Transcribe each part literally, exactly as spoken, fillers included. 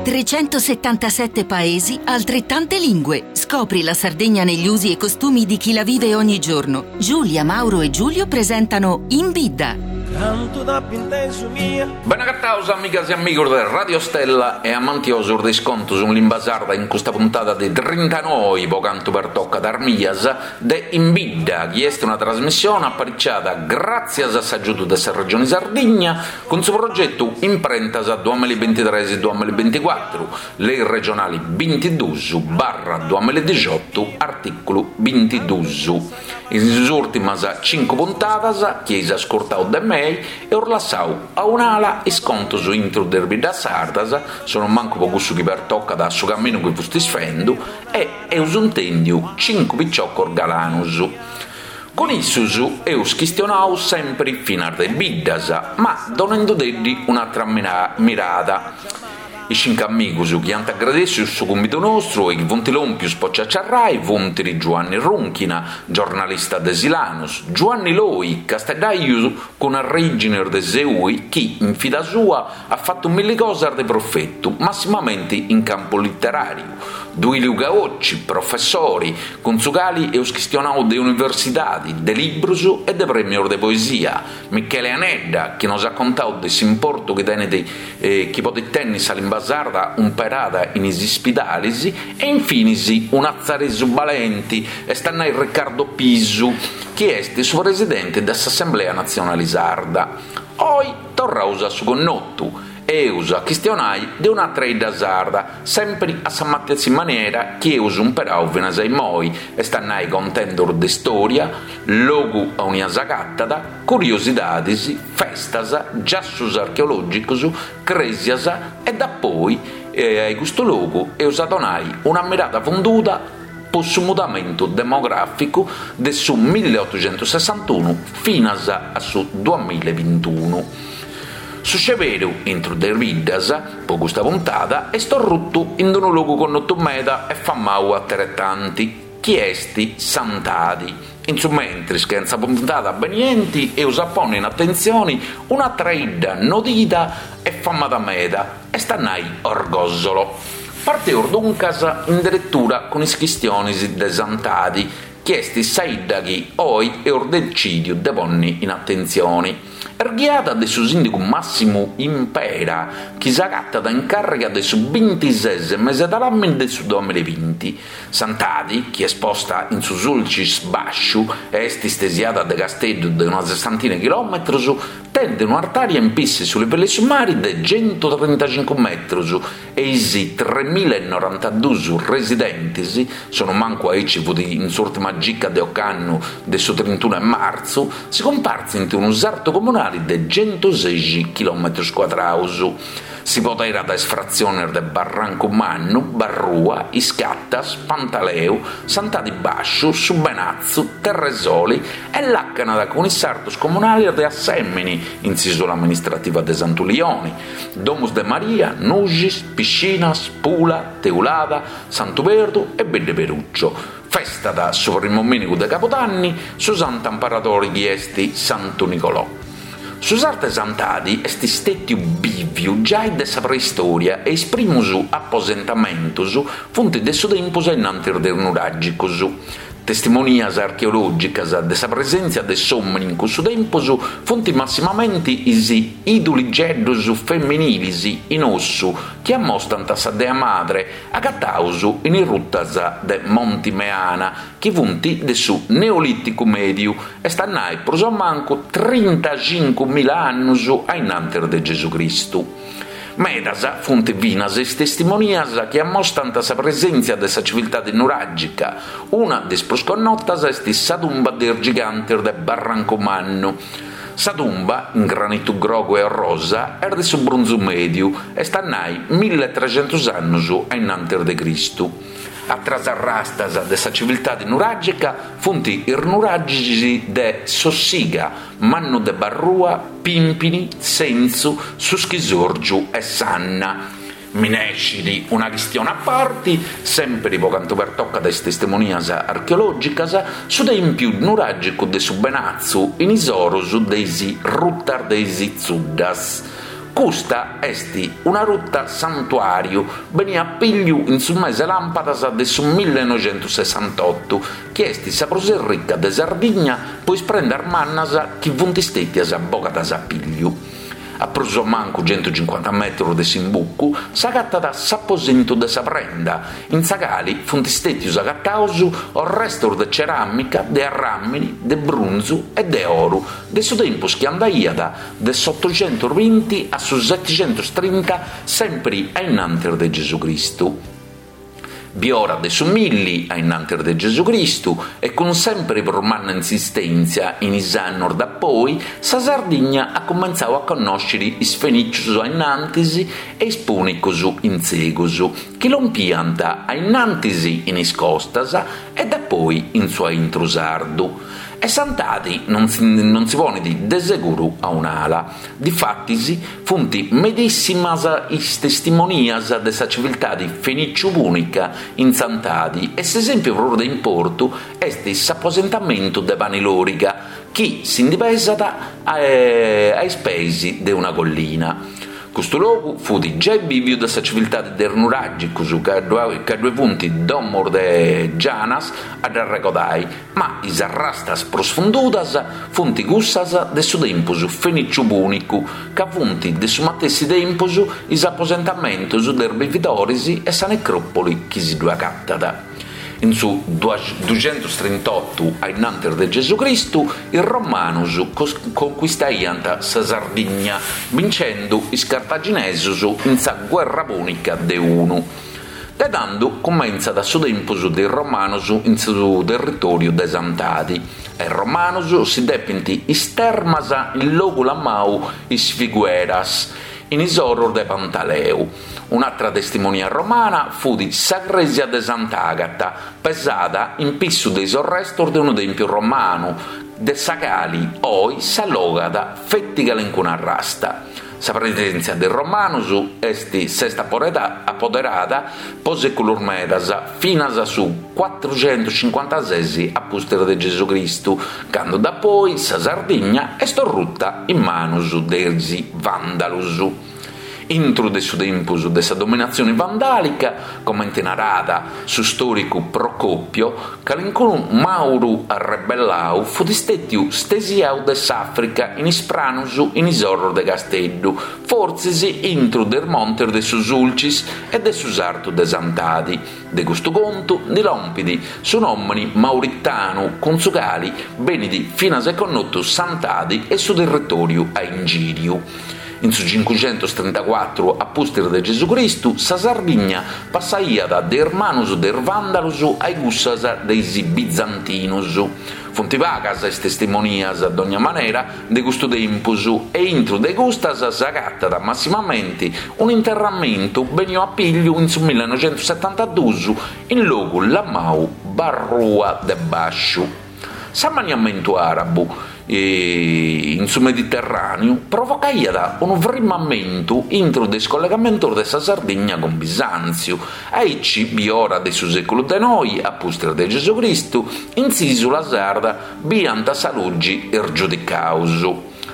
Trecentosettantasette paesi, altrettante lingue. Scopri la Sardegna negli usi e costumi di chi la vive ogni giorno. Giulia, Mauro e Giulio presentano In Bidda. Bene agataus amigas e amigos de Radio Stella e amantiosos de is contos in limba sarda in custa puntada de trintanoi po cantu pertocat is mias de In Bidda chi est una trasmissione apariciada gràtzias a s'agiudu de sa Regioni Sardigna cun su progetu Imprentas duamilla bintitres duamilla binticuatru, lei regionali bintiduus barra duamilla dixiotu, artìculu bintiduus. In is ùrtimas cincu puntadas chi eis ascurtau de mei eus lassau a un'ala is contos intro de is biddas sardas, sonumancu po cussu chi pertocat su caminu chi fustis fendu, e eus intèndiu cincu piciocos galanus. Cun issus eus chistionau sempri finas de biddas, ma donendudeddi un'atra mirada. Is cincu amigus chi ant agradèssiu su cumbidu nostru e chi funt lòmpius po ciaciarrai funt Giuanni Runchina, giornalista de Silanus, Giuanni Loi, casteddaiu cun arrèigines de Seui chi, in vida sua, at fatu milli cosas de profetu, massimamenti in campu literàriu, Duiliu Caocci, professori, cun su cali eus chistionau de universidadi, de librus e de prèmios de poesia, Michele Anedda, chi nos at contau de s'importu chi tenet eh, chi podet tenni sa limba sarda umperada in is ispidalis e infinis un'atzaresu balenti, est a nai Riccardo Pisu, chi est su presidente de s'Assemblea Natzionale Sarda. Oi torraus a su connotu e eus a chistionai de un'atra 'idda sarda, sempri a sa matessi manera chi eus umperau finas a immoi, est a nai contendus de storia, logu aunia s'agatat, curiosidadis, festas, giassus archeològicos, crèsias e dapoi eh, a custu logu eus a donai una mirada funduda po su mudamentu demogràficu de su milleotoxentusessantunu finas a su duamillabintunu. Su sceberu intro de is biddas, po custa puntada, est orrutu in unu logu connotu meda e famau ateretanti, chi est Santadi. In su mentris che in sa puntada benienti eus a ponni in atentzioni un'atra 'idda nodida e famada meda, est a nai Orgosolo. Parteus duncas in diretura cun is chistionis de Santadi, chi est sa 'idda chi oi eus decìdiu de ponni in atentzioni. Est ghiada de su sìndigu Massimu Impera, chi s'agatat in càrriga de su bintises mese de làmini de su duamillabinti. Santadi, chi est posta in su Sulcis Bàsciu e est istesiada de Casteddu de una sessantina de chilòmetros, tenet un'artària in pissu su livellu 'e su mari de centutrintacincu metros e is tremillanorantadus residentes, sonumancu aici fut in s'ùrtima gica de ocannu de su trintunu 'e martzu, si cumpartzint unu sartu comunale de centusexi chilòmetros cuadraus. Si poderat is fratziones de Barrancu Mannu, Barrua, Iscattas, Pantaleu, Santadi Bàsciu, Su Benatzu, Terresoli e làcanat cun is sartos comunales de Assèmini, in s'ìsula amministrativa de Santu Lioni, Domus de Maria, Nuxis, Piscinas, Pula, Teulada, Santu Perdu e Bidde Peruccio. Festat su primu domìnigu de Cabudanni su santu amparadore chi est Santu Nicolò. Su sartu 'e Santadi est istètiu bìviu giai de sa preistoria e is primos aposentamentos funt de su tempus ainnantis de is nuràgicos. Testimonias archeològicas de sa presèntzia de s'òmine in cussu tempus funt massimamenti is iduligeddus feminilis in ossu chi ammostant sa Dea Madre agataus in is rutas de Monti Meana, chi funt de su Neolìticu Mèdiu, est a nai prus o mancu trintacincumila annus ainnantis de Gesù Cristu. Medas funt finas is testimonias chi ammostant sa presèntzia de sa civiltade nuràgica. Una de is prus connotas est sa tumba de is gigantes de Barrancu Mannu. Sa tumba, in granitu grogu e rosa, est de su Brunzu Mèdiu, est a nai milletrecentus annus ainnantis de Cristu. Atras arrastas de sa civiltade nuràgica funt is nuragis de Sossiga, Mannu de Barrua, Pimpini, Sentzu, Su Schisòrgiu e Sanna. Minescit una chistione a parti, sèmpiri po cantu pertocat is testimonias archeològicas, su tèmpiu nuràgicu de su Benatzu in is oros de is rutas de is Zuddas. Custa est una ruta santuàriu benia a pigliu in su mese làmpadas de su millenoixentosessantottu, chi est sa prus rica de Sardigna po is prendas mannas chi funt stètias bogadas a pigliu. A prus o mancu centucincuanta metrus de s'imbucu s'agatat s'aposentu de sa prenda, in sa cali funt stètius agataus orrestus de ceràmica, de arràmini, de brunzu e de oru de su tempus chi andaiat de s'otoxentus binti a su setixentus trinta sèmpiri a innantis de Gesucristu. Biora de su milli a innantis de Gesucristu e cun sèmpiri prus manna insistèntzia in is annos dapoi, sa Sardigna at cumentzau a connòsciri is Fenìcios a innantis e is Pùnicos in segus, chi lompiant a innantis in is costas e dapoi in su aintru sardu. E Santadi non non si ponet de seguru a un'ala. Difatis funt medìssimas is testimonias de sa civiltade fenìciu-pùnica in Santadi e s'esèmpiu prus de importu est s'aposentamentu de Pani Loriga chi si ndi pesat a is peis de una collina. Custu logu fut giai bìviu de sa civiltade de is nuràgicos, ca ddue funt domos de gianas a dd'arregodai, ma is arrastas prus fundudas funt cussas de su tempus fenìciu-pùnicu, ca funt de su matessi tempus is aposentamentos de is bividores e sa necròpoli chi si ddue agatat. In su duxentus trintotu a innantis de Gesucristu is Romanus conquistaiant sa Sardigna bincendu is Cartaginesos in sa Guerra Pùnica de unu. De tando cumentzat su tempus de is Romanos in su territòriu de Santadi. A is Romanos si depint is termas in logu lamau Is Figueras, in is oros de Pantaleu. Un'atra testimonia romana fut sa crèsia de Sant'Agata, pesada in pissu de is orrestos de unu tèmpiu romanu, de sa cali oi s'allogat feti calincuna arrasta. Sa presèntzia de is romanos est s'est apoderada po sèculos medas, finas a su cuatruxentuscincuantases a pustis de Gesucristu, cando dapoi sa Sardigna est orruta in manus de is Vàndalos. Intro de su tempus de sa dominatzione vandàlica, comente narat su stòricu Procopio, calincunu Màuru arrebellau fut stètiu stesiau de s'Àfrica in is pranus in is oros de Casteddu, fortzis intro de is montes de su Sulcis e de su sartu de Santadi. De custu contu ndi lompit su nòmini mauritanu cun su cali benit finas e connotu Santadi e su territòriu a ingìriu. In su cincuxentustrintacuatru a pustis de Gesucristu sa Sardigna passaiat de is manus de is Vàndalos a cussas de is Bizantinos. Funt pagas is testimonias, a dogna manera, de custu tempus e intru de custas s'agatat massimamenti un'interramentu beniu a pigliu in su millenoixentussetantaduus in logu lamau Barrua de Bàsciu. S'ammaniamentu àrabu in su Mediterràneu provocaiat unu frimmamentu intro de is collegamentos de sa Sardigna cun Bisàntziu. Aici, biora de su sèculu de noi, a pustis de Gesucristu, in s'ìsula sarda biiant sa lugi is giudicaus.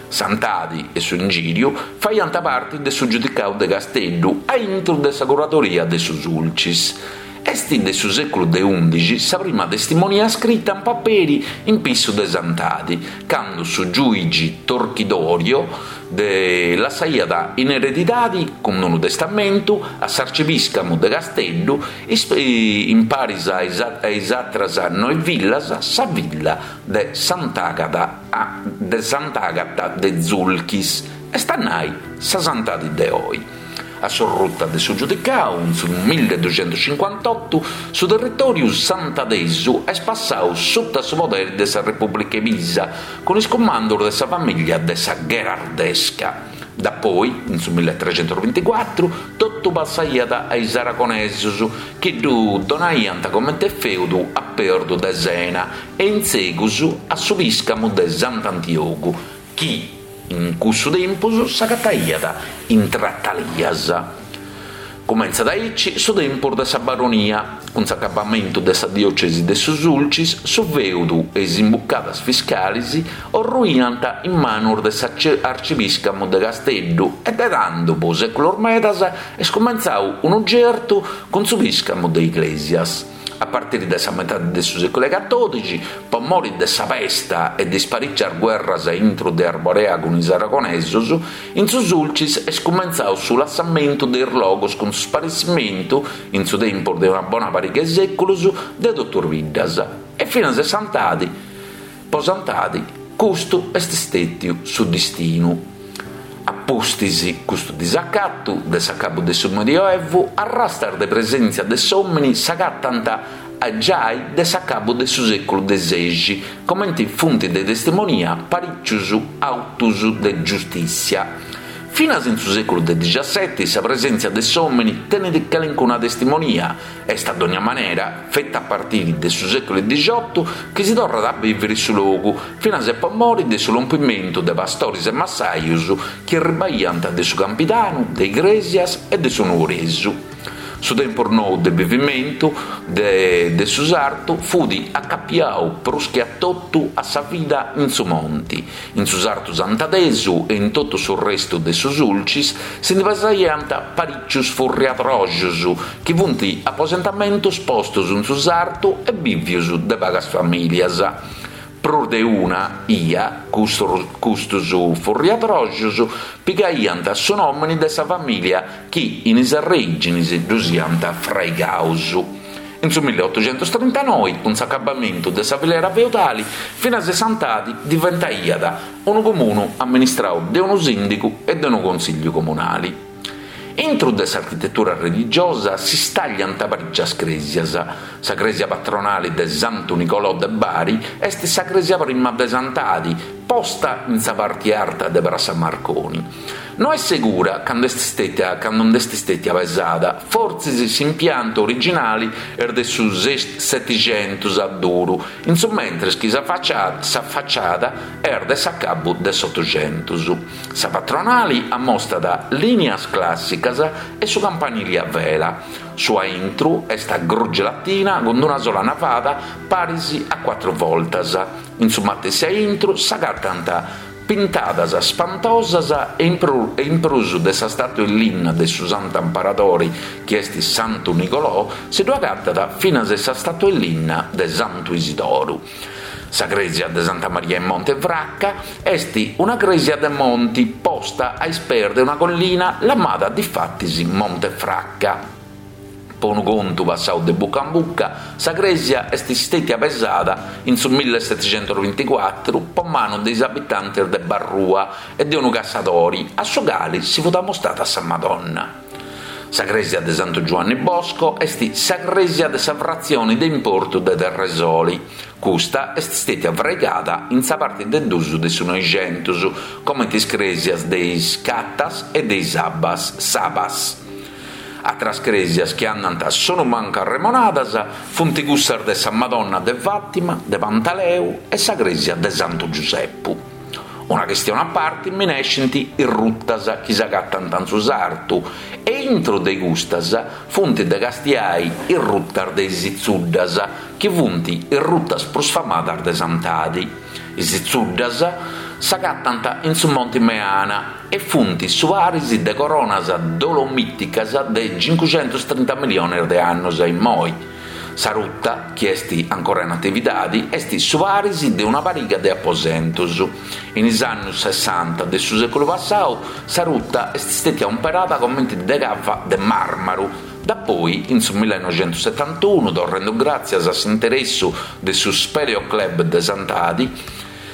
Santadi e su ingìriu faiant parti de su giudicau de Casteddu a intro de sa curadoria de su Sulcis. Est de su sèculu de ùndixi sa prima testimonia scrita in paperi in pissu de Santadi, cando su giùigi Torchidorio de lassaiat in eredidadi, cun unu testamentu, a s'arcipìscamu de Casteddu, in paris a is àteras noe villas, sa villa de Sant'Agata de Sant'Agata de Zulchis, est a nai sa Santadi de oi. A s'orruta de su giudicau, in su milleduxentuscincuantotu, su territòriu santadesu est passau suta su poderi de sa Repùblica 'e Pisa, cun is cumandos de sa famìllia de sa Gherardesca. Dapoi, in su milletrecentusbinticuatru, totu passaiat a is Aragonesos, chi ddu donaiant comente fèudu a Perdu de Sena e in segus a su pìscamu de Sant'Antiogu, chi in cussu tempus s'agataiat in Tratalias. Cumentzat aici su tempus de sa Baronia. Cun s'acabamentu de sa diòcesi de su Sulcis, su fèudu e is imbucadas fiscalis orruiant in manus de s'arcipìscamu de Casteddu e de tando, po sèculos medas, est cumentzau unu gertu cun su pìscamu de Iglesias. A partiri de sa metadi de su sèculu catòdixi, po mori de sa pesta e de is parìcias guerras intru de Arborea cun is aragonesos, in su Sulcis est cumentzau su lassamentu de is logos cun su sparessimentu, in su tempus de una bona pariga 'e sèculos, de totu is biddas. E finas e Santadi, po Santadi, custu est stètiu su distinu. A pustis custu disacatu de s'acabu de su Medioevu, arrastas de presèntzia de s'òmini s'agatant giai de s'acabu de su sèculu de sexi, comenti funt de testimonia parìcius autus de giustìssia. Finas in su sèculu de dixaseti sa presèntzia de s'òmini tenit calincuna testimonia, est a dogna manera feti a partiri de su sèculu dixiotu chi si torrat a bìviri su logu, finas e po mori de su lompimentu de pastoris e massajus chi erribaiant de su Campidanu, de Igrèsias e de su Nugoresu. Su tempus nou de bivimentu de de su sartu fut acapiau prus che a totu a sa vida in su monti. In su sartu santadesu e in totu su restu de su Sulcis si ndi pesaiant parìcius furriadroxus, chi funt aposentamentus postus in su sartu e bìvius de pagas famìlias. Prus de una 'ia custos custos furriadroxus pigaiant su nòmini de sa famìlia chi in is arrèginis ddus iant fraigaus. In su milliotoxentostrintanoi, cun s'acabamentu de sa filera feudali, finas e Santadi diventaiat unu comunu amministrau de unu sìndigu e de unu consìgliu comunali. Intru de s'architetura religiosa si stàgliant parìcias crèsias. Sa crèsia patronali de Santu Nicolò de Bari est sa crèsia prima de Santadi, posta in sa parti arta de Prassa Marconi. No est segura cando est stètia cando nd'est stètia pesada, fortzis s'impiantu originali est de su Setixentus a duru, in su mentres chi sa sa faciada est de s'acabu de s'Otoxentus. Sa patronali amostat lìnias clàssicas e su campanili a vela. Su a intru est a grugi latina cun una sola navada paris a cuatru voltas. In su matessi a intru s'agatant pintadas spantosas e in prus e in prus de sa stàtua in linna de su Santu Amparadori chi est Santu Nicolò si ddu agatat finas sa stàtua in linna de Santu Isidoru. Sa crèsia de Santa Maria in Monte Fracca est una crèsia de monti posta a is peis de una collina lamada difatis Monte Fracca. Po unu contu passau de buca in buca, sa crèsia est stètia pesada in su millesetixentusbinticuatru po manu de is abitantis de Barrua e de unu cassadori a su cali si fut amostada sa Madonna. Sa crèsia de Santu Giuanni Bosco est sa crèsia de sa fratzioni de importu de Terresoli. Custa est stètia fraigada in sa parti de duus de su Noixentus, comenti is crèsias de is Catas e de is Abas, Sabas. Atras crèsias chi andant sonumancu arremonadas funt cussas de sa Madonna de Fàtima, de Pantaleu e sa crèsia de Santu Giusepu. Una chistione a parti minescint is rutas chi s'agatant in su sartu e intro de custas funt de castiai is rutas de is Itzuddas, chi funt is rutas prus famadas de Santadi. Is Itzuddas s'agatant in su Monti Meana e funt su paris de coronas dolomìticas de cincuxentustrinta miliones de annos a immoi. Sa ruta, chi est ancora in atividadi, est su paris de una pariga de aposentus. In is annus sessanta de su sèculu passau, sa ruta est stètia umperada comenti de cava de màrmaru. Dapoi, in su millenoxentussetantunu, torrendu gràtzias a s'interessu de su Speleoclub de Santadi,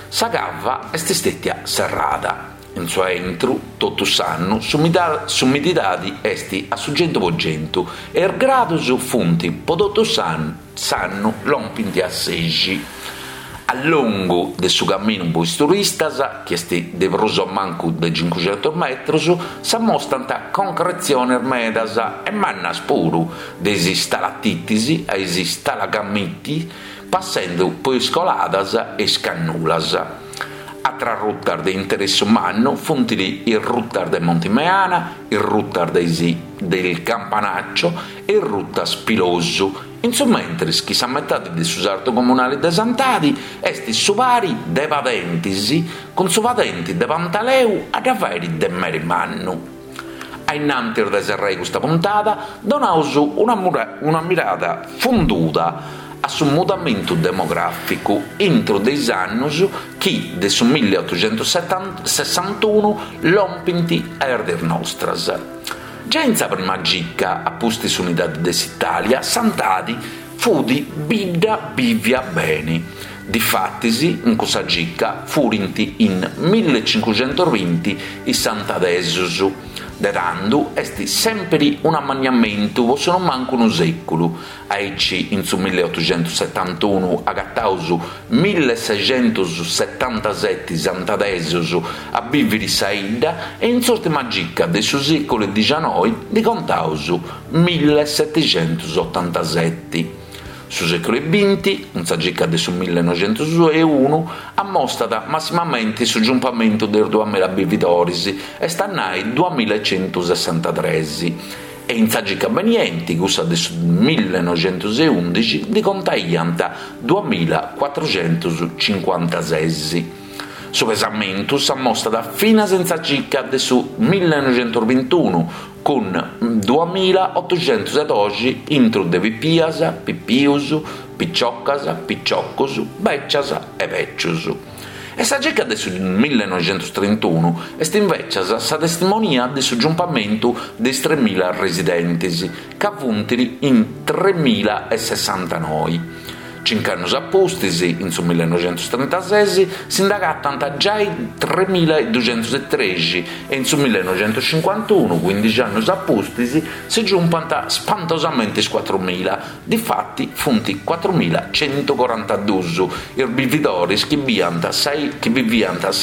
sa cava est stètia serrada. In su aintru, totu s'annu, s'umididadi est a su centu po centu e is gradus funt po totu s'annu lompint a sexi. A longu de su caminu po is turistas, chi est de prus o mancu de cincuxentus metrus, s'amostant concretziones medas e mannas puru, de is stalatitis a is stalagmiti, passendu po is coladas e is cannulas. Atras rutas de interessu mannu funt is rutas de Monti Meana, is rutas de Il Campanaccio e is rutas Pilosu, in su mentris chi sa metadi de su sartu comunali de Santadi est su pari de padentis cun su padenti de Pantaleu a dda fàiri de meri mannu. A innantis de serrai custa puntada donaus una mirada funduda a su mudamentu demogràficu intro de is annos chi de su milleotoxentosessantunu lompint a is dies nostras. Giai in sa prima gica, a pustis s'unidade de s'Itàlia, Santadi fut bidda bìvia bene. Difatis, in cussa gica furint in millecincuxentosbinti is santadesos. De tando est sèmpere un'ammanniamentu pro su non mancu unu sèculu. Aici in su milleotoxentosetantunu agataus millesexentosetantaseti santadesos a bìvere sa 'idda e in s'ùrtima gica de su sèculu dicianoi ndi contaus millesetixentosotantaseti. Su sèculu binti, cun sa gica de su millenoixentos e unu, ammostat massimamenti su giumpamentu de is duamilla bividores, est a nai duamillaecentosessantatres, e in sa gica benienti, cussa de su millenoixentos e undixi, ndi contaiant duamillacuatruxentocincuantases. Su pesamentu s'ammostat finas in sa gica de su millenoixentosbintunu, cun duamillaotoxentodoxi intro de pipias, pipius, piciocas, piciocos, bècias e bècios. E sa gica de su millenoixentotrintunu est invècias sa testimonia de su giumpamentu de is tremila residentes, ca funt in tremillaesessantanoi. Cincu annos a pustis, in su millenoixentotrintases, si nd'agatant giai tremilladuxentostrexi e in su millenoixentocincuantunu, quindixi annos a pustis, si giumpant spantosamente is cuatrumila, difati funt cuatrumillacentocorantaduus is bividores chi biviant sa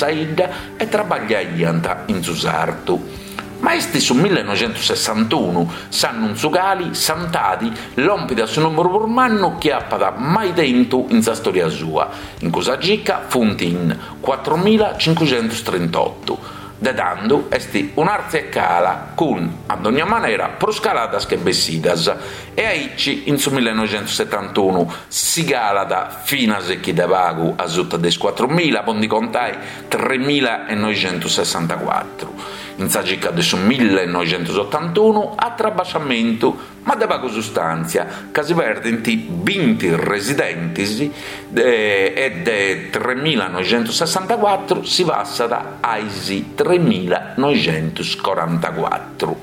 'idda e trabagliaiant in su sartu. Ma est su millenoixentosessantunu s'annu in su cale Santadi lompit a su nùmeru prus mannu chi apat mai tentu in sa storia sua. In cussa gica funt in cuatrumillacincuxentotrintotto. De tando est un'àrtzia e cala, cun, a dogna manera, prus caladas che bessidas. E aici in su millenoixentosetantunu si calat finas e chi de pagu a suta de is cuatrumila, po ndi contai tremillaenoixentosessantacuatru. In sa gica de su millenoixentosotantunu atru abasciamentu, ma de pagu sustàntzia, ca si perdint binti residentes e de tremillaenoixentosessantacuatru si passat a is tremillaenoixentocorantacuatru.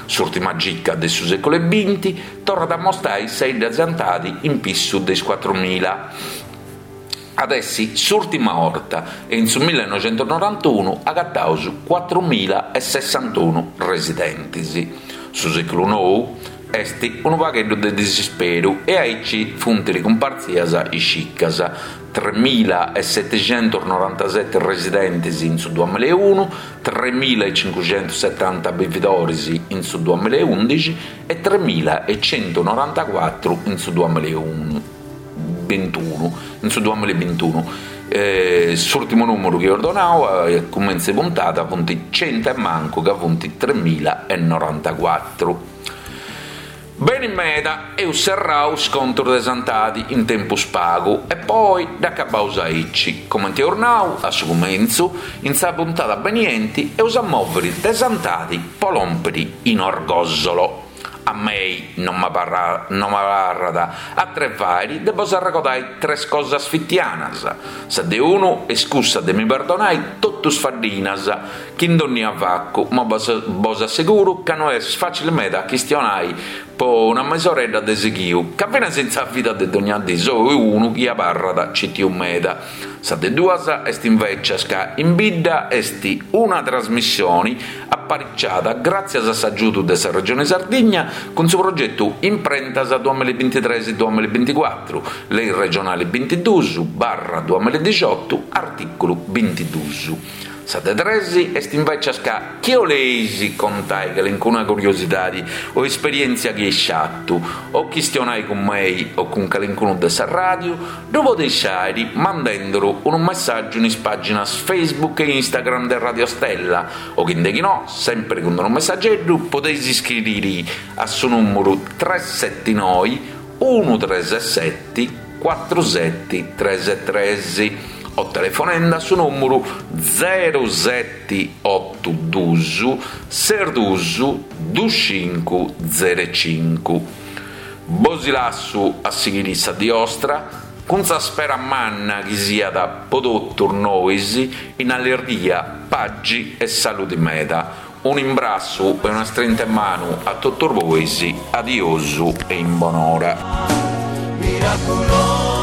S'ùrtima gica de su sèculu binti torrat a mostrai sa 'idda Santadi in pissu de is cuatrumila. At essi s'ùrtima 'orta e in su millenoixentonorantunu agataus cuatrumillaesessantunu residentes. Su sèculu nou est unu pagheddu de disisperu e aici funt ricumpartzias is cicas, tremillaesetixentonorantaseti residentes in su duamillaeunu, tremillaecincuxentosetanta bividores in su duamillaeundixi e tremillaecentonorantacuatru in su duamillaebintunu. In su duamillabintunu. Eh, s'ùrtimu nùmeru chi eus donau a cumentzu 'e puntada funt centu e mancu, ca funt tremillaenorantacuatru. Beni meda, eus serrau is contos de Santadi in tempus pagu e poi dd'acabaus aici. Comenti eus nau a su cumentzu, in sa puntada benienti eus a mòvere de Santadi po lòmpere in Orgòsolo. A mei non m'abarrat atru 'e fàere de bos arregodai tres cosas fitianas. Sa de unu est cussa de mi perdonai totu is faddinas chi in dònnia facu, ma bos asseguro ca no est fàcile meda a chistionai po una mesoredda de sighiu, ca finas in sa vida de dònnia dì so unu chi abarrat citiu meda. Sa de duas est invècias ca In Bidda est una trasmissione apariciada gràtzias a s'agiudu de sa Regione Sardigna cun su progetu Imprentas duamillabintitres duamillabinticuatru, Lei regionale bintiduus barra duamilladixotu, artìculu bintiduus. Sa de tres est invecias ca chi 'oleis contai calincuna curiosidadi o esperièntzia chi eis fatu o chistionai cun mei o cun calincunu de sa ràdiu, ddu podeis fàiri mandenduru unu messàgiu in is pàginas Facebook e Instagram de Radio Stella o chi ndeghinò, sèmpiri cun unu messageddu, podeis iscriri a su nùmeru tres seti noi unu tres seti cuatru seti tres tres o telefonende a su nùmeru zeru seti otu dus ses dus dus cincu zeru cincu. Bosi lassu a sighiri sa dì 'ostra cun sa spera manna chi siat po totus nois in allirghia, paxi e saludi meda. Un'imbrassu e una strinta 'e manu a totus bois, adiosu e in bonora. Miraculosu.